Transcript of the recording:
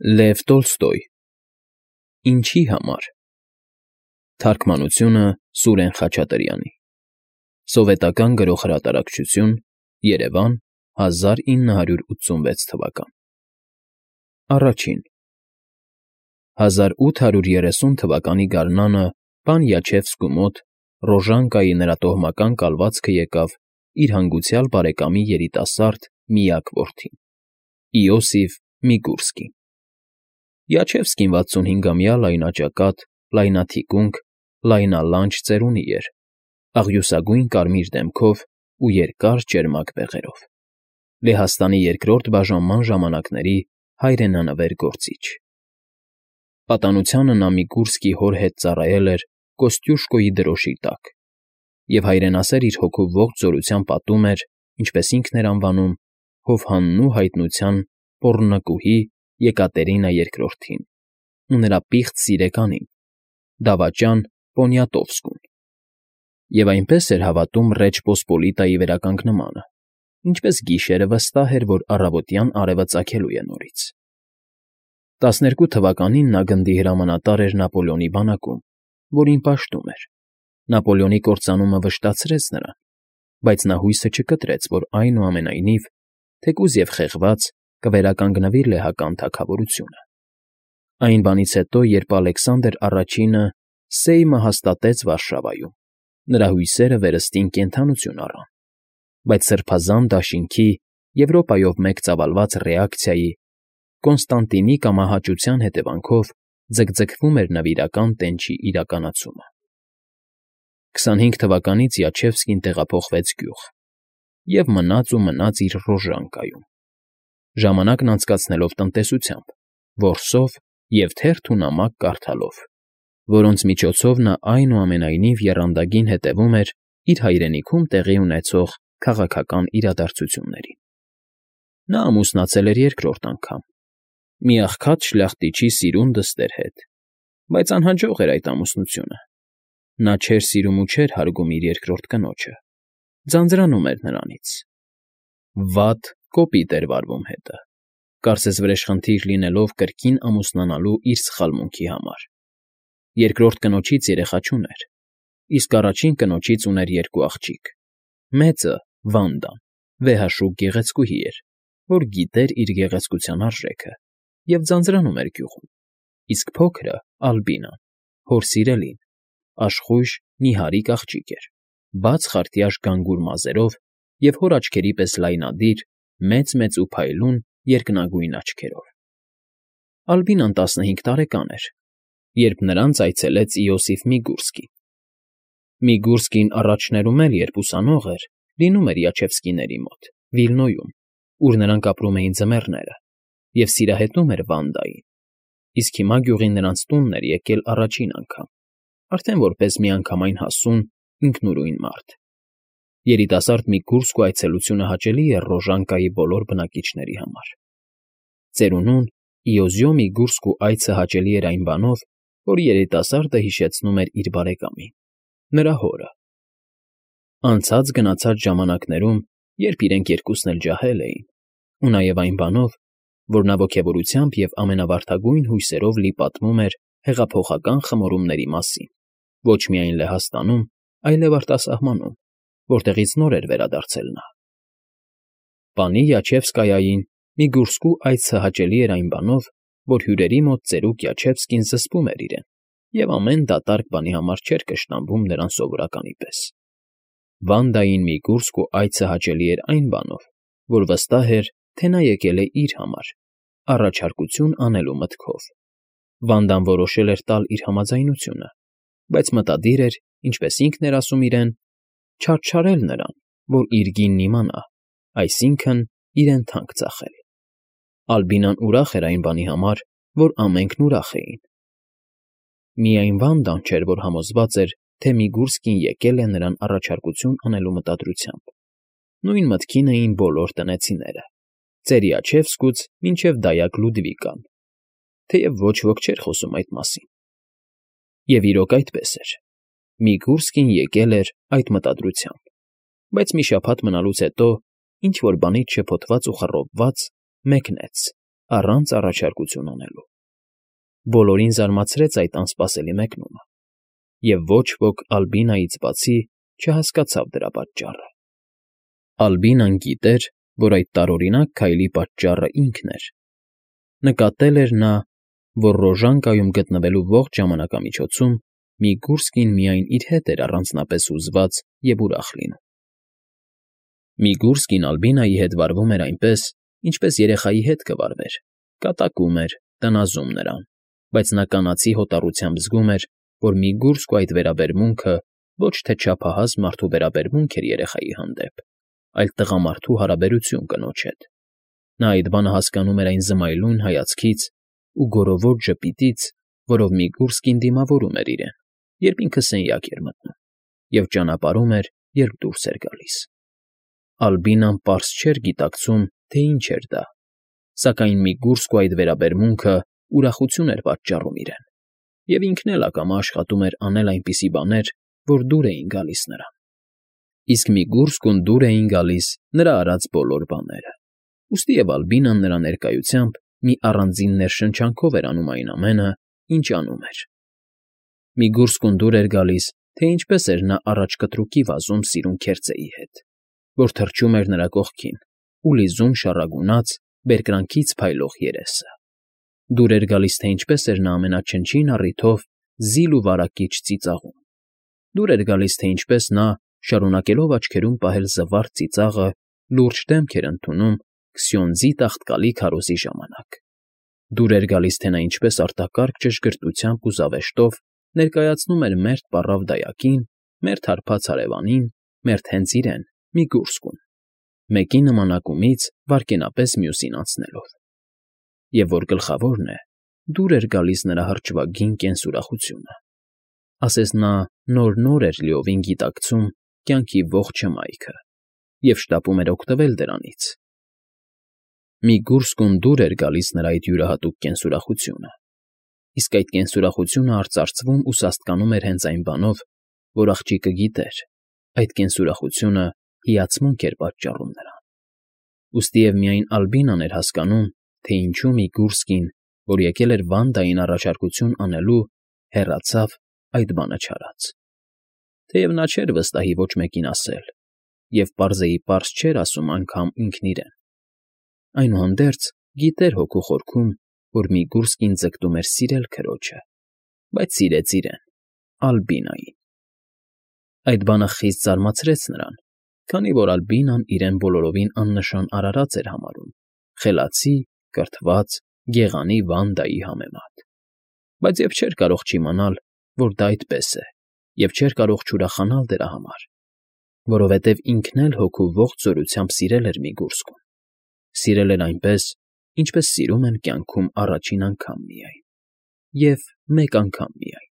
Լև Տոլստոյ Ինչի համար Թարգմանությունը Սուրեն Խաչատրյանի Սովետական Գրող-հրատարակչություն Երևան 1986 թվական Առաջին 1830 թվականի գարնանը պան Յաչևսկու մոտ Ռոժանկայի նրա տոհմական կալվածքը եկավ իր հանգուցյալ բարեկամի երիտասարդ միակ որդին՝ Իոսիֆ Միգուրսկին։ Յաչևսկին 65-ամյա լայնաճակատ, լայնաթիկունք, լայնալանջ ծերունի էր, աղյուսագույն կարմիր դեմքով ու երկար ճերմակ բեղերով, Լեհաստանի երկրորդ բաժանման ժամանակների հայրենանվեր գործիչ։ Պատանությանը նա Միգուրսկի հոր հետ ծառայել էր Կոստյուշկոյի դրոշի տակ և հայրենասեր իր հոգու ողջ զորությամբ պատում էր, ինչպես ինքն էր անվանում, հովհաննու հայտնության պոռնկուհի Եկատերինա II-ին ու նրա պիղծ սիրեկանին, դավաճան Պոնյատովսկուն, և այնպես էր հավատում Ռեջ Պոսպոլիտայի վերականգնմանը, ինչպես գիշերը վստահ էր, որ առավոտյան արևը ծագելու է նորից։ 12 թվականին նա գնդի հրամանատար էր Նապոլեոնի բանակում, որին պաշտում էր։ Նապոլեոնի կործանումը վշտացրեց նրան, բայց նա հույսը չկտրեց, որ այնուամենայնիվ, թեկուզ և խեղված, կվերականգնվի լեհական թագավորությունը։ Այն բանից հետո, երբ Ալեքսանդր I-ը Սեյմը հաստատեց Վարշավայում, նրա հույսերը վերստին կենդանություն առան, բայց սրբազան դաշինքի, Եվրոպայով մեկ ծավալված ռեակցիայի, Կոնստանտինի կամահաճության հետևանքով ձգձգվում էր նվիրական տենչի իրականացումը։ 25 թվականից Յաչևսկին տեղափոխվեց գյուղ և մնաց իր Ռոժանկայում, ժամանակն անցկացնելով տնտեսությամբ, որսով և թերթ ու նամակ կարդալով, որոնց միջոցով նա այնուամենայնիվ եռանդագին հետևում էր իր հայրենիքում տեղի ունեցող քաղաքական իրադարձություններին։ Նա ամուսնացել էր երկրորդ անգամ, մի աղքատ շլախտիչի սիրուն դստեր հետ, բայց անհաջող էր այդ ամուսնությունը։ Նա չէր սիրում ու չէր հարգում իր երկրորդ կնոջը, ձանձրանում էր նրանից։ Վատ կոպիտ էր վարվում հետը, կարծես վրեժխնդիր լինելով կրկին ամուսնանալու իր սխալմունքի համար։ Երկրորդ կնոջից երեխա չուներ, իսկ առաջին կնոջից ուներ երկու աղջիկ։ Մեծը՝ Վանդան, վեհաշուկ գեղեցկուհի էր, որ գիտեր իր գեղեցկության արժեքը և ձանձրանում էր գյուղում, իսկ փոքրը՝ Ալբինան, հոր սիրելին, աշխույժ, նիհարիկ աղջիկ էր, բաց խարտյաշ գանգուր մազերով և հոր աչքերի պես լայնադիր, մեծ ու փայլուն երկնագույն աչքերով։ Ալբինան 15 տարեկան էր, երբ նրանց այցելեց Իոսիֆ Միգուրսկին։ Միգուրսկին առաջներում էլ, երբ ուսանող էր, լինում էր Յաչևսկիների մոտ, Վիլնոյում, ուր նրանք ապրում էին ձմեռները, և սիրահետում էր Վանդային, իսկ հիմա գյուղին նրանց տունն էր եկել առաջին անգամ, արդեն որպես միանգամայն հասուն, ինքնուրույն մարդ։ Երիտասարդ Միգուրսկու այցելությունը հաճելի էր Ռոժանկայի բոլոր բնակիչների համար։ Ծերունուն Իոզյո Միգուրսկու այցը հաճելի էր այն բանով, որ երիտասարդը հիշեցնում էր իր բարեկամին, նրա հորը։ Անցած֊գնացած ժամանակներում, երբ իրենք երկուսն էլ ջահել էին, ու նաև այն բանով, որ նա ոգևորությամբ և ամենավարդագույն հույսերով լի պատմում էր հեղափոխական խմորումների մասին, ոչ միայն Լեհաստանում, այլև արտասահմանում, որտեղից նոր էր վերադարձել նա։ Պանի Յաչևսկայային Միգուրսկու այցը հաճելի էր այն բանով, որ հյուրերի մոտ ծերուկ Յաչևսկին զսպում էր իրեն և ամեն դատարկ բանի համար չէր կշտամբում նրան սովորականի պես։ Վանդային Միգուրսկու այցը հաճելի էր այն բանով, որ վստահ էր, թե նա եկել է իր համար, առաջարկություն անելու մտքով։ Վանդան որոշել էր տալ իր համաձայնությունը, բայց մտադիր էր, ինչպես ինքն էր ասում իրեն, չարչարել նրան, որ իր գինն իմանա, այսինքն՝ իրեն թանկ ծախել։ Ալբինան ուրախ էր այն բանի համար, որ ամենքն ուրախ էին։ Միայն Վանդան չէր, որ համոզված էր, թե Միգուրսկին եկել է նրան առաջարկություն անելու մտադրությամբ։ Նույն մտքին էին բոլոր տնեցիները, ծեր Յաչևսկուց մինչև դայակ Լուդվիկան, թեև ոչ ոք չէր խոսում այդ մասին։ Եվ իրոք այդպես էր. Միգուրսկին եկել էր այդ մտադրությամբ, բայց մի շաբաթ մնալուց հետո, ինչ֊որ բանից շփոթված ու խռովված, մեկնեց առանց առաջարկություն անելու։ Բոլորին զարմացրեց այդ անսպասելի մեկնումը, և ոչ ոք Ալբինայից բացի չհասկացավ դրա պատճառը։ Ալբինան գիտեր, որ այդ տարօրինակ քայլի պատճառը ինքն էր։ Նկատել էր նա, որ Ռոժանկայում գտնվելու ողջ ժամանակամիջոցում Միգուրսկին միայն իր հետ էր առանձնապես հուզված և ուրախ լինում։ Միգուրսկին Ալբինայի հետ վարվում էր այնպես, ինչպես երեխայի հետ կվարվեր, կատակում էր, տնազում նրան, բայց նա կանացի հոտառությամբ զգում էր, որ Միգուրսկու այդ վերաբերմունքը ոչ թե չափահաս մարդու վերաբերմունք էր երեխայի հանդեպ, այլ տղամարդու հարաբերություն կնոջ հետ։ Նա այդ բանը հասկանում էր այն զմայլուն հայացքից ու գորովոտ ժպիտից, որով Միգուրսկին դիմավորում էր իրեն, երբ ինքը սենյակ էր մտնում, և ճանապարհում էր, երբ դուրս էր գալիս։ Ալբինան պարզ չէր գիտակցում, թե ինչ էր դա, սակայն Միգուրսկու այդ վերաբերմունքը ուրախություն էր պատճառում իրեն, և ինքն էլ ակամա աշխատում էր անել այնպիսի բաներ, որ դուր էին գալիս նրան։ Իսկ Միգուրսկուն դուր էին գալիս նրա արած բոլոր բաները, ուստի և Ալբինան նրա ներկայությամբ մի առանձին ներշնչանքով էր անում այն ամենը, ինչ անում էր։ Միգուրսկուն դուր էր գալիս, թե ինչպես էր նա առաջ կտրուկի վազում սիրուն քերծեի հետ, որ թռչում էր նրա կողքին ու լիզում շառագունած, բերկրանքից փայլող երեսը։ Դուր էր գալիս, թե ինչպես էր նա ամենաչնչին առիթով զիլ ու վարակիչ ծիծաղում։ Դուր էր գալիս, թե ինչպես նա, շարունակելով աչքերում պահել զվարթ ծիծաղը, լուրջ դեմք էր ընդունում Քսյոնդզի տաղտկալի քարոզի ժամանակ։ Դուր էր գալիս, թե նա ինչպես արտակարգ ճշգրտությամբ ու զավեշտով ներկայացնում էր մերթ պառավ դայակին, մերթ հարբած հարևանին, մերթ հենց իրեն՝ Միգուրսկուն, մեկի նմանակումից վայրկենապես մյուսին անցնելով։ Եվ որ գլխավորն է, դուր էր գալիս նրա հրճվագին կենսուրախությունը, ասես նա նոր էր լիովին գիտակցում կյանքի ողջ հմայքը և շտապում էր օգտվել դրանից։ Միգուրսկուն դուր էր գալիս նրա այդ յուրահատուկ կենսուրախությունը, իսկ այդ կենսուրախությունը արծարծվում ու սաստկանում էր հենց այն բանով, որ աղջիկը գիտեր, այդ կենսուրախությունը հիացմունք էր պատճառում նրան։ Ուստի և միայն Ալբինան էր հասկանում, թե ինչու Միգուրսկին, որ եկել էր Վանդային առաջարկություն անելու, հեռացավ այդ բանը չարած։ Թեև նա չէր վստահի ոչ մեկին ասել և պարզեիպարզ չէր ասում անգամ ինքն իրեն, այնուհանդերձ գիտեր հոգու խորքում, որ Միգուրսկին ձգտում էր սիրել քրոջը, բայց սիրեց իրեն՝ Ալբինային։ Այդ բանը խիստ զարմացրեց նրան, քանի որ Ալբինան իրեն բոլորովին աննշան արարած էր համարում խելացի, կրթված, գեղանի Վանդայի համեմատ, բայց և չէր կարող չիմանալ, որ դա այդպես է, և չէր կարող չուրախանալ դրա համար, որովհետև ինքն էլ հոգու ողջ զորությամբ սիրել էր Միգուրսկուն, սիրել էր այնպես, ինչպես սիրում են կյանքում առաջին անգամ միայն, և մեկ անգամ միայն։